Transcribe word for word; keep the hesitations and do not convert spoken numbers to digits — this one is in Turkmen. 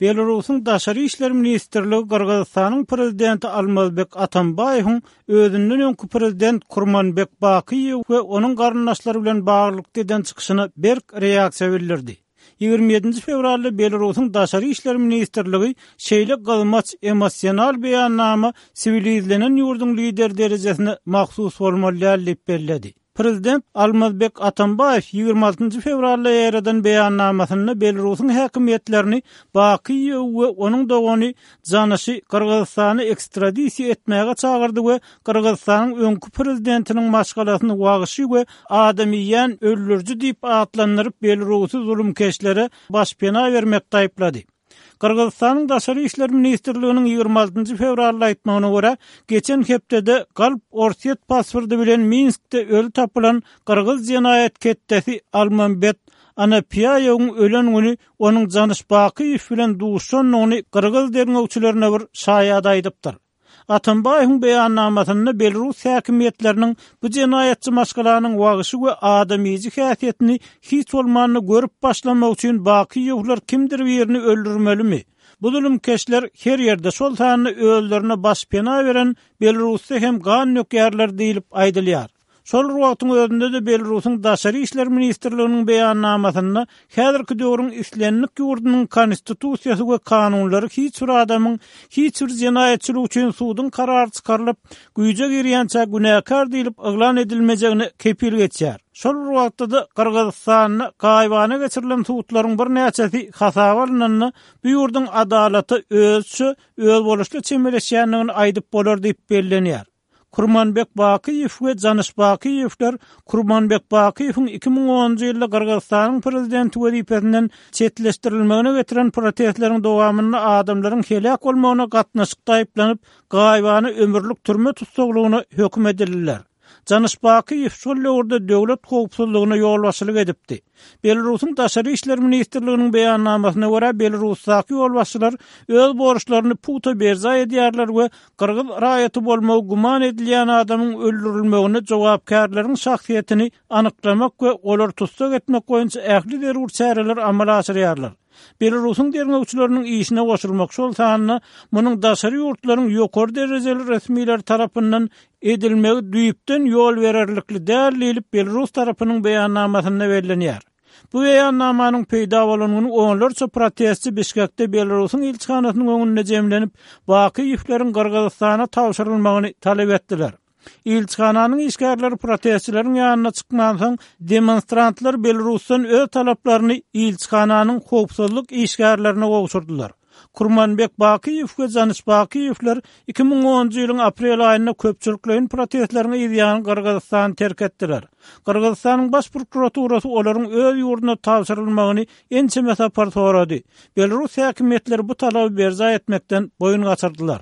Belarusyň Daşary işler ministrligi Gyrgyzystanyň prezidenti Almazbek Atambaýewiň özünden öňki prezident Kurmanbek Bakiýew we onuň garyndaşlary bilen baglylykda eden çykyşyna berk reaksiýa bildirdi. Ýigrimi ýedinji fewralda Belarusyň Daşary işler ministrligi şeýle gyzmaç emosional beýannama siwilizlenen ýurduň lideri derejesine mahsus bolmaly däl diýip belledi. Prezident Almazbek Atambaýew ýigrimi altynjy fewralda ýaýradan beýannamasynda Belarusyň häkimiýetlerini Bakiýew we onuň dogany Janyşy Gyrgyzystana ekstradisiýa etmäge çagyrdy we Gyrgyzystanyň öňki prezidentiniň maşgalasyny wagşy we adam iýýän öldüriji diýip atlandyryp Belarusy zulumkeşlere başpena bermekde aýyplady. Gyrgyzystanyň Daşary işler ministrliginiň ýigrimi altynjy fewralda aýtmagyna görä, geçen hepdede galp Orsýet pasporty bilen Minskde öli tapylan gyrgyz jenaýat ketdesi Almambet Anapiýaýewiň ölen güni onuň Janyş Bakyýew bilen duşandygyny gyrgyz derňewçilerine bir şaýat aýdypdyr. Atambaýewiň beýannamasynda Belarus häkimiýetleriniň bu jenaýatçy maşgalanyň wagşy we adamyjy häsiýetini hiç bolmanda görüp başlamak üçin Bakyýewler kimdir birini öldürmelimi? Bu zulumkeşler her ýerde, şol sanda özlerine başpena beren Belarusda hem gan dökýärler diýlip aýdylýar. Şol bir wagtyň özünde-de Belarusyň Daşary işler ministrliginiň beýannamasynda häzirki döwrüň islendik ýurdunyň konstitusiýasy we kanunlary hiç bir adamyň hiç bir jenaýatçylyk üçin suduň karary çykarylyp, güýje girýänçä günäkär diýlip yglan edilmejegine kepil geçýär. Şol bir wagtda-da Gyrgyzystanda gaýybana geçirilen sudlaryň birnäçesi hasaba alnanda bu ýurduň adalata özçe özboluşly çemeleşýändigini aýdyp bolar diýip bellenýär. Kurmanbek Bakiýew we Janyş Bakiýewler Kurmanbek Bakiýewiň iki müň onunjy ýylda Gyrgyzystanyň prezidenti wezipesinden çetleşdirilmegine getiren protestleriň dowamynda adamlaryň heläk bolmagyna gatnaşykda aýyplanyp, gaýybana ömürlik türme tussaglygyna höküm edildiler. Janyş Bakiýew şol döwürde döwlet howpsuzlygyna ýolbaşçylyk edipdi. Belarusyň Daşary işler ministrliginiň beýannamasyna görä, Belarusdaky ýolbaşçylar öz borçlaryny pugta berjaý edýärler we gyrgyz raýaty bolmagy güman edilýän adamyň öldürilmegine jogapkärleriň şahsyýetini anyklamak we olary tussag etmek boýunça ähli zerur çäreleri amala aşyrýarlar. Belarusyň derňewçileriniň işine goşulmak, şol sanda munuň daşary ýurtlaryň ýokary derejeli resmileri tarapyndan edilmegi düýpden ýol bererlikli däl diýlip Belarus tarapynyň beýannamasynda bellenýär. Bu beýannamanyň peýda bolan güni onlarça protestçi Bişkekde Belarusyň ilçihanasynyň öňünde jemlenip, Bakyýewleriň Gyrgyzystana tabşyrylmagyny talap etdiler. Ilçihananyň işgärleri protestçileriň ýanyna çykmansoň, demonstrantlar Belarusdan öz talaplaryny ilçihananyň howpsuzlyk işgärlerine gowşurdylar. Kurmanbek Bakyýew we Janyş Bakyýewler iki müň onunjy ýylyň aprel aýynda köpçülikleýin protestleriň yzýany Gyrgyzystany terk etdiler. Gyrgyzystanyň baş prokuraturasy olaryň öz ýurduna tabşyrylmagyny ençeme sapar sorady. Belarus häkimiýetleri bu talaby berjaý etmekden boýun gaçyrdylar.